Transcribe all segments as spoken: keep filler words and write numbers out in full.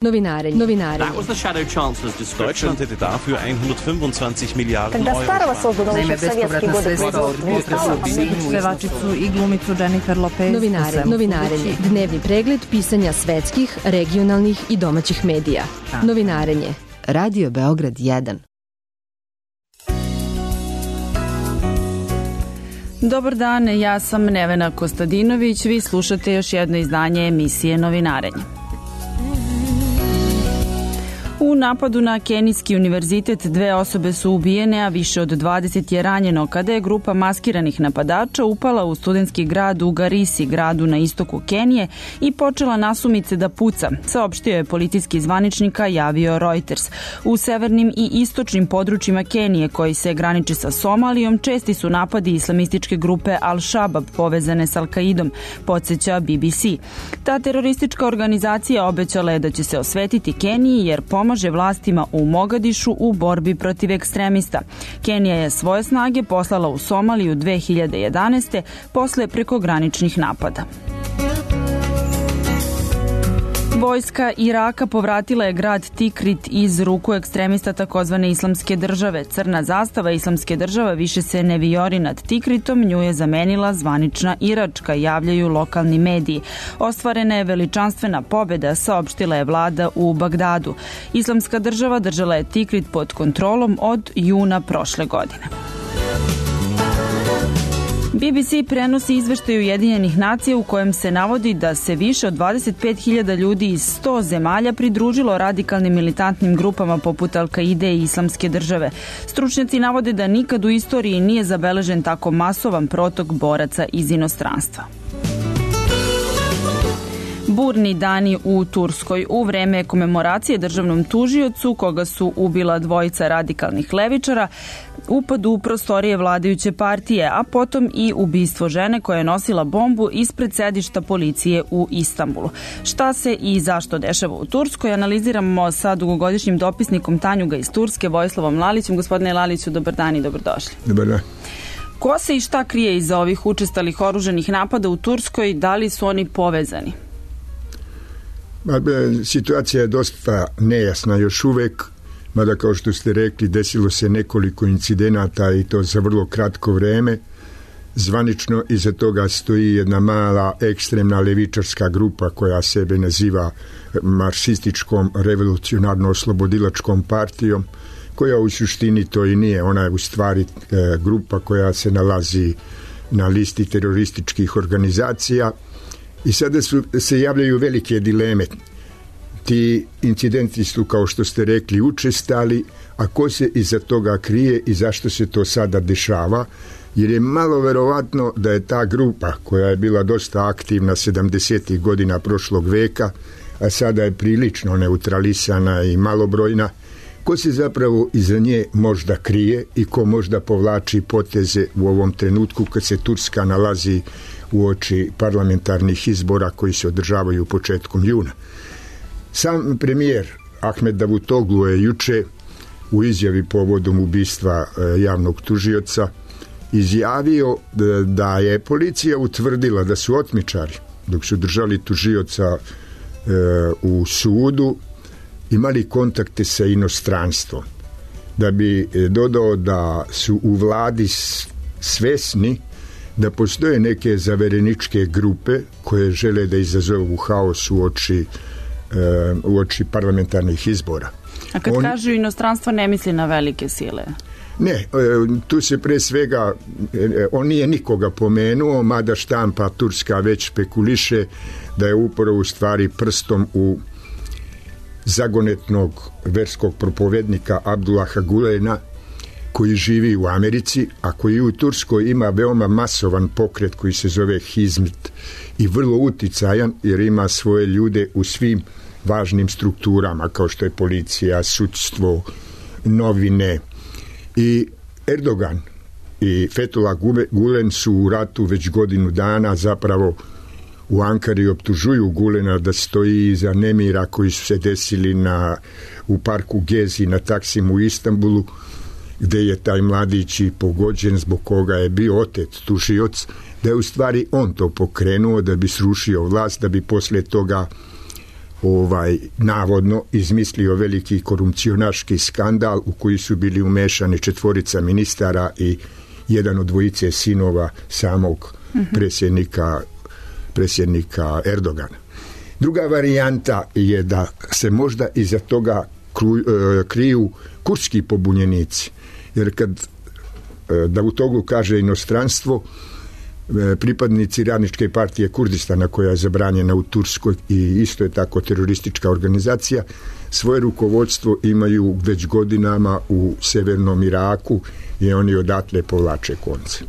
Novinarenje. Novinarenje. That was the shadow chancellor's description. Deutschland hätte dafür hundertfünfundzwanzig Milliarden Euro. Naime, bespovratna sredstva od pevačicu i glumicu Jennifer Lopez. Novinare, novinarenje. Dnevni pregled pisanja svetskih, regionalnih i domaćih medija. Da. Novinarenje. Radio Beograd jedan. Dobar dan, ja sam Nevena Kostadinović. Vi slušate još jedno izdanje emisije Novinarenje. U napadu na Kenijski univerzitet dve osobe su ubijene, a više od dvadeset je ranjeno kada je grupa maskiranih napadača upala u studentski grad u Garisi, gradu na istoku Kenije, i počela nasumice da puca, saopštio je policijski zvaničnika, javio Reuters. U severnim i istočnim područjima Kenije, koji se graniči sa Somalijom, česti su napadi islamističke grupe Al-Shabaab povezane s Al-Qaidom, podsjeća B B C. Ta teroristička organizacija obećala je da će se osvetiti Keniji jer pomaže može vlastima u Mogadišu u borbi protiv ekstremista. Kenija je svoje snage poslala u Somaliju dve hiljade jedanaeste. posle prekograničnih napada. Vojska Iraka povratila je grad Tikrit iz ruku ekstremista takozvane Islamske države. Crna zastava Islamske države više se ne vijori nad Tikritom, nju je zamenila zvanična iračka, javljaju lokalni mediji. Ostvarena je veličanstvena pobjeda, saopštila je vlada u Bagdadu. Islamska država držala je Tikrit pod kontrolom od juna prošle godine. B B C prenosi izveštaj Ujedinjenih nacija u kojem se navodi da se više od dvadeset pet hiljada ljudi iz sto zemalja pridružilo radikalnim militantnim grupama poput Al-Qaide i Islamske države. Stručnjaci navode da nikad u istoriji nije zabeležen tako masovan protok boraca iz inostranstva. Burni dani u Turskoj. U vreme komemoracije državnom tužiocu, koga su ubila dvojica radikalnih levičara, upad u prostorije vladajuće partije, a potom i ubistvo žene koja je nosila bombu ispred sedišta policije u Istanbulu. Šta se i zašto dešava u Turskoj analiziramo sa dugogodišnjim dopisnikom Tanjuga iz Turske, Vojislavom Lalićem. Gospodine Laliću, dobar dan i dobrodošli. Dobar dan. Ko se i šta krije iza ovih učestalih oružanih napada u Turskoj? Da li su oni povezani? Situacija je dosta nejasna još uvek, mada kao što ste rekli desilo se nekoliko incidenata i to za vrlo kratko vreme. Zvanično iza toga stoji jedna mala ekstremna levičarska grupa koja sebe naziva marksističkom revolucionarno-oslobodilačkom partijom, koja u suštini to i nije. Ona je u stvari grupa koja se nalazi na listi terorističkih organizacija. I sada su, se javljaju velike dileme. Ti incidenti su, kao što ste rekli, učestali, a ko se iza toga krije i zašto se to sada dešava? Jer je malo verovatno da je ta grupa, koja je bila dosta aktivna sedamdesetih godina prošlog veka, a sada je prilično neutralisana i malobrojna, ko se zapravo iza nje možda krije i ko možda povlači poteze u ovom trenutku kad se Turska nalazi u oči parlamentarnih izbora koji se održavaju početkom juna. Sam premijer Ahmed Davutoglu je juče u izjavi povodom ubistva javnog tužioca izjavio da je policija utvrdila da su otmičari, dok su držali tužioca u sudu, imali kontakte sa inostranstvom. Da bi dodao da su u vladi svesni da postoje neke zavereničke grupe koje žele da izazovu haos u oči, u oči parlamentarnih izbora. A kad on, kažu inostranstvo, ne misli na velike sile? Ne, tu se pre svega, on nije nikoga pomenuo, mada štampa turska već špekuliše da je upravo u stvari prstom u zagonetnog verskog propovednika Abdullaha Gulena, koji živi u Americi, a koji u Turskoj ima veoma masovan pokret koji se zove Hizmet i vrlo uticajan jer ima svoje ljude u svim važnim strukturama kao što je policija, sudstvo, novine. I Erdogan i Fethullah Gulen su u ratu već godinu dana, zapravo u Ankari optužuju Gulena da stoji iza nemira koji su se desili na, u parku Gezi na Taksimu u Istanbulu, gde je taj mladić i pogođen, zbog koga je bio otet tužioc, da je u stvari on to pokrenuo da bi srušio vlast, da bi posle toga ovaj navodno izmislio veliki korupcionaški skandal u koji su bili umešani četvorica ministara i jedan od dvojice sinova samog predsjednika, predsjednika Erdogana. Druga varijanta je da se možda iza toga kriju kurdski pobunjenici, jer kad Davutoglu kaže inostranstvo, pripadnici Radničke partije Kurdistana, koja je zabranjena u Turskoj i isto je tako teroristička organizacija, svoje rukovodstvo imaju već godinama u severnom Iraku i oni odatle povlače konce.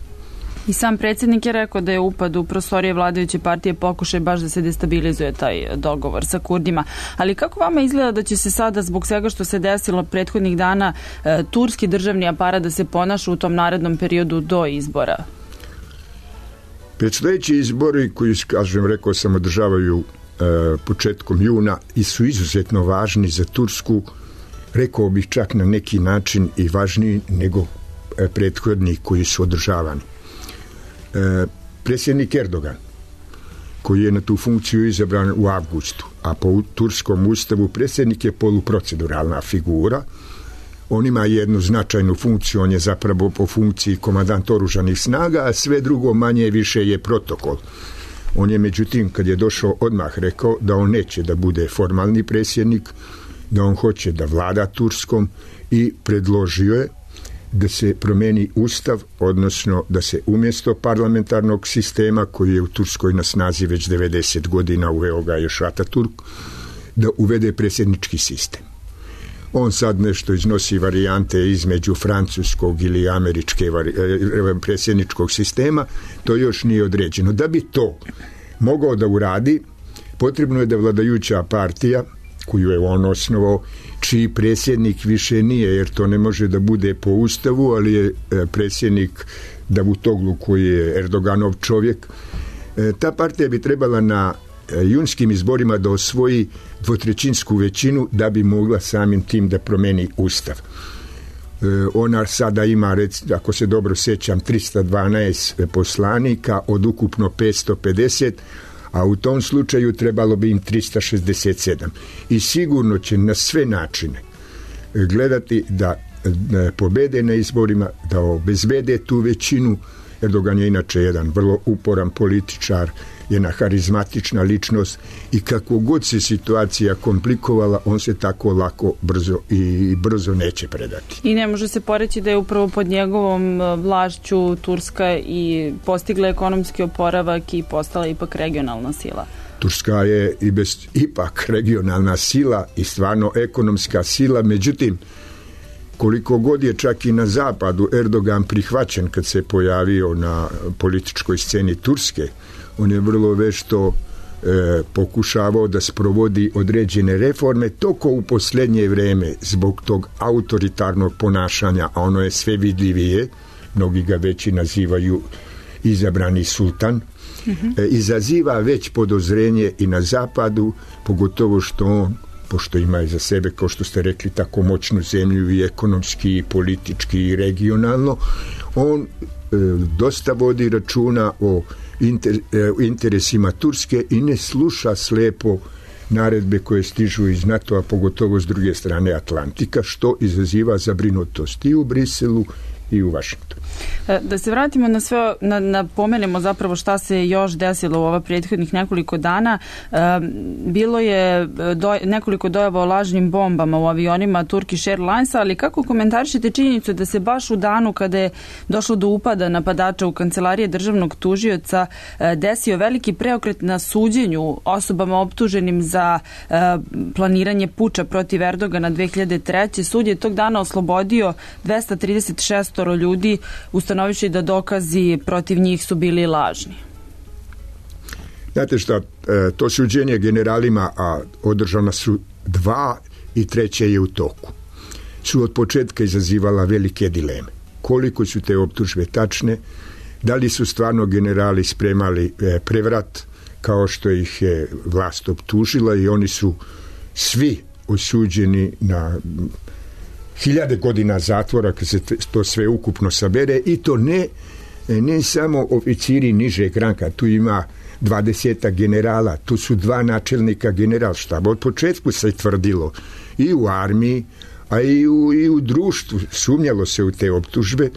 I sam predsjednik je rekao da je upad u prostorije vladajuće partije pokušaj baš da se destabilizuje taj dogovor sa Kurdima. Ali kako vama izgleda da će se sada, zbog svega što se desilo prethodnih dana, turski državni aparat da se ponaša u tom narednom periodu do izbora? Predstojeći izbori koji, kažem, rekao sam, održavaju e, početkom juna i su izuzetno važni za Tursku, rekao bih čak na neki način i važniji nego e, prethodni koji su održavani. E, predsjednik Erdogan, koji je na tu funkciju izabran u avgustu, a po turskom ustavu predsjednik je poluproceduralna figura. On ima jednu značajnu funkciju, on je zapravo po funkciji komandant oružanih snaga, a sve drugo manje više je protokol. On je, međutim, kad je došao, odmah rekao da on neće da bude formalni predsjednik, da on hoće da vlada Turskom i predložio je da se promeni ustav, odnosno da se umjesto parlamentarnog sistema koji je u Turskoj na snazi već devedeset godina, uveo ga još Ataturk, da uvede predsjednički sistem. On sad nešto iznosi varijante između francuskog ili američke predsjedničkog sistema, to još nije određeno. Da bi to mogao da uradi, potrebno je da vladajuća partija, koju je on osnovao, čiji predsjednik više nije, jer to ne može da bude po ustavu, ali je predsjednik Davutoglu, koji je Erdoganov čovjek, ta partija bi trebala na junskim izborima da osvoji dvotrećinsku većinu da bi mogla samim tim da promeni ustav. E, ona sada ima, rec, ako se dobro sjećam, tristo dvanaest poslanika od ukupno petsto pedeset, a u tom slučaju trebalo bi im tristo šezdeset sedam. I sigurno će na sve načine gledati da pobede na izborima, da obezbede tu većinu. Erdogan je inače jedan vrlo uporan političar, jedna harizmatična ličnost i kako god se situacija komplikovala, on se tako lako brzo i brzo neće predati. I ne može se poreći da je upravo pod njegovom vlašću Turska i postigla ekonomski oporavak i postala ipak regionalna sila. Turska je i bez, ipak regionalna sila i stvarno ekonomska sila, međutim, koliko god je čak i na zapadu Erdogan prihvaćen kad se pojavio na političkoj sceni Turske, on je vrlo vešto e, pokušavao da sprovodi određene reforme, toko u posljednje vreme zbog tog autoritarnog ponašanja, a ono je sve vidljivije, mnogi ga već i nazivaju izabrani sultan, mm-hmm. e, izaziva već podozrenje i na zapadu, pogotovo što on, pošto ima iza sebe, kao što ste rekli, tako moćnu zemlju i ekonomski, i politički, i regionalno, on e, dosta vodi računa o inter, e, interesima Turske i ne sluša slepo naredbe koje stižu iz NATO-a, pogotovo s druge strane Atlantika, što izaziva zabrinutost i u Briselu i u Vašingtonu. Da se vratimo na sve, na, na pomenemo zapravo šta se još desilo u ova prethodnih nekoliko dana. E, bilo je do, nekoliko dojava o lažnim bombama u avionima Turkish Airlinesa, ali kako komentarišete činjenicu da se baš u danu kada je došlo do upada napadača u kancelarije državnog tužioca e, desio veliki preokret na suđenju osobama optuženim za e, planiranje puča protiv Erdogana dve hiljade treće. Sud je tog dana oslobodio dvesta trideset šest ljudi, ustanovivši da dokazi protiv njih su bili lažni. Znate šta, to suđenje generalima, a održana su dva i treće je u toku, su od početka izazivala velike dileme. Koliko su te optužbe tačne, da li su stvarno generali spremali prevrat kao što ih je vlast optužila i oni su svi osuđeni na hiljade godina zatvora kad se to sve ukupno sabere i to ne, ne samo oficiri nižeg ranka, tu ima dvadesetak generala, tu su dva načelnika generalštaba. Od početku se tvrdilo i u armiji, a i u, i u društvu, sumnjalo se u te optužbe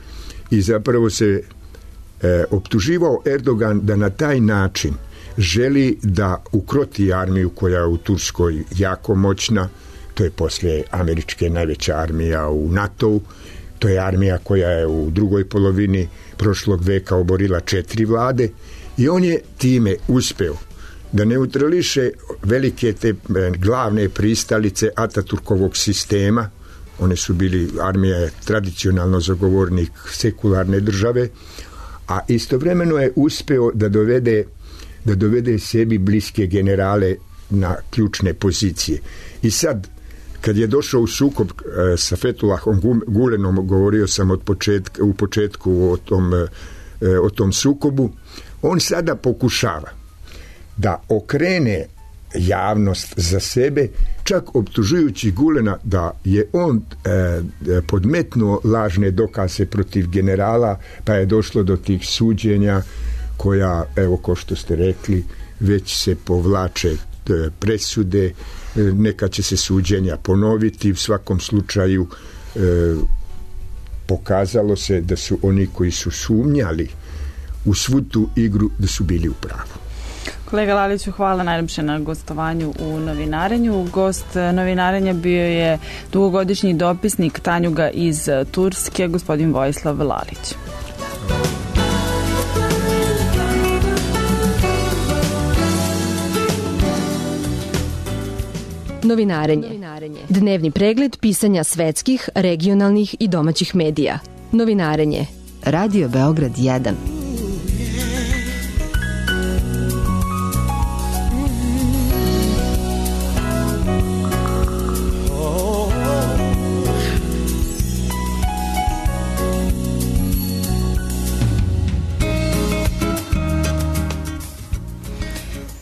i zapravo se e, optuživao Erdogan da na taj način želi da ukroti armiju koja je u Turskoj jako moćna. To je poslije američke najveća armija u NATO-u. To je armija koja je u drugoj polovini prošlog veka oborila četiri vlade i on je time uspeo da neutrališe velike te glavne pristalice Ataturkovog sistema. One su bili, armija je tradicionalno zagovornik sekularne države, a istovremeno je uspeo da dovede da dovede sebi bliske generale na ključne pozicije. I sad, kad je došao u sukob e, sa Fethullahom Gulenom, govorio sam od početka, u početku o tom, e, o tom sukobu, on sada pokušava da okrene javnost za sebe, čak optužujući Gulena da je on e, podmetnuo lažne dokaze protiv generala, pa je došlo do tih suđenja koja, evo ko što ste rekli, već se povlače e, presude, e, neka će se suđenja ponoviti, u svakom slučaju e, pokazalo se da su oni koji su sumnjali u svu tu igru da su bili u pravu. Kolega Laliću, hvala najljepše na gostovanju u Novinarenju. Gost Novinarenja bio je dugogodišnji dopisnik Tanjuga iz Turske, gospodin Vojislav Lalić. Novinarenje. Dnevni pregled pisanja svetskih, regionalnih i domaćih medija. Novinarenje. Radio Beograd jedan.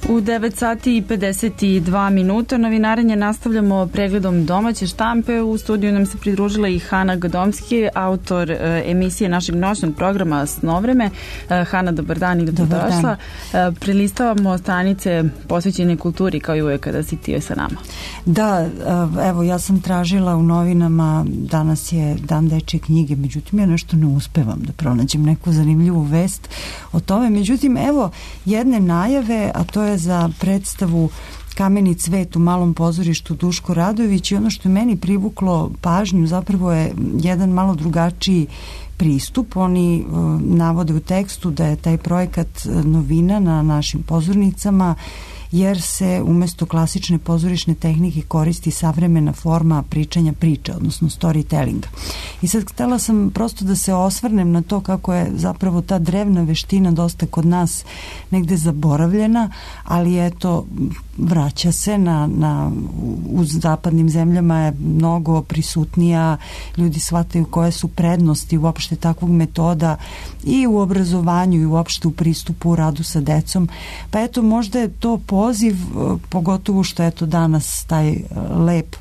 U devet sati i pedeset dva minuta Novinarenje nastavljamo pregledom domaće štampe. U studiju nam se pridružila i Hana Gadomski, autor e, emisije našeg noćnog programa Snovreme. E, Hana, dobar dan i dobrodošla. E, prelistavamo stranice posvećene kulturi kao i uvek kada si ti sa nama. Da, evo ja sam tražila u novinama, danas je dan dečje knjige, međutim ja nešto ne uspevam da pronađem neku zanimljivu vest o tome. Međutim, evo jedne najave, a to je za predstavu Kameni cvet u Malom pozorištu Duško Radojević, i ono što je meni privuklo pažnju zapravo je jedan malo drugačiji pristup. Oni uh, navode u tekstu da je taj projekat novina na našim pozornicama, jer se umesto klasične pozorišne tehnike koristi savremena forma pričanja priče, odnosno storytellinga. I sad htela sam prosto da se osvrnem na to kako je zapravo ta drevna veština dosta kod nas negde zaboravljena, ali eto, vraća se na, na, u zapadnim zemljama je mnogo prisutnija, ljudi shvataju koje su prednosti uopšte takvog metoda i u obrazovanju i uopšte u pristupu u radu sa decom. Pa eto, možda je to poziv, pogotovo što je to danas taj lep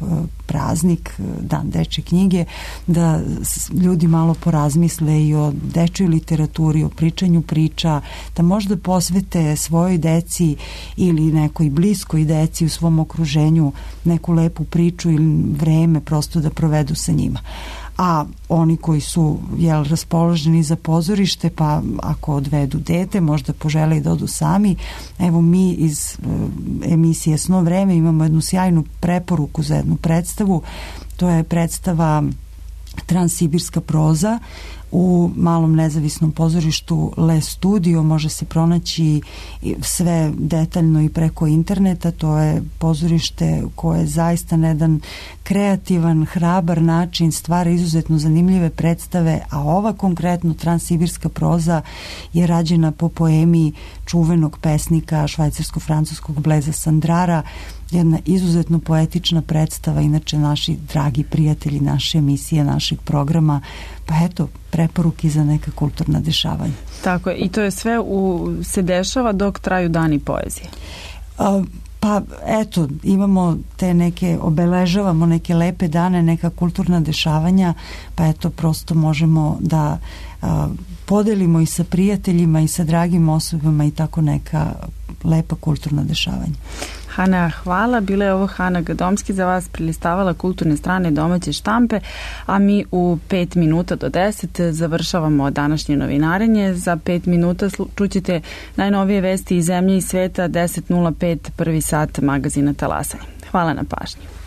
praznik, dan dečje knjige, da ljudi malo porazmisle i o dečjoj literaturi, o pričanju priča, da možda posvete svojoj deci ili nekoj bliskoj deci u svom okruženju neku lepu priču ili vreme prosto da provedu sa njima. A oni koji su jel, raspoloženi za pozorište, pa ako odvedu dete, možda požele i da odu sami. Evo mi iz e, emisije Sno vreme imamo jednu sjajnu preporuku za jednu predstavu. To je predstava Transsibirska proza u Malom nezavisnom pozorištu Le Studio. Može se pronaći sve detaljno i preko interneta. To je pozorište koje je zaista na jedan kreativan, hrabar način stvara izuzetno zanimljive predstave, a ova konkretno Transsibirska proza je rađena po poemi čuvenog pesnika švajcarsko-francuskog Blaisa Sandrara. Jedna izuzetno poetična predstava, inače naši dragi prijatelji naše emisije, našeg programa, pa eto, preporuki za neka kulturna dešavanja. Tako je, i to je sve u, se dešava dok traju dani poezije. A, Pa eto, imamo te neke, obeležavamo neke lepe dane, neka kulturna dešavanja, pa eto prosto možemo da a, podelimo i sa prijateljima i sa dragim osobama i tako neka lepa kulturna dešavanja. Hana, hvala. Bila je ovo Hana Gadomski za vas prilistavala kulturne strane domaće štampe, a mi u pet minuta do deset završavamo današnje novinarenje. Za pet minuta čućete najnovije vesti iz zemlje i sveta, deset nula pet, prvi sat magazina Talasanje. Hvala na pažnji.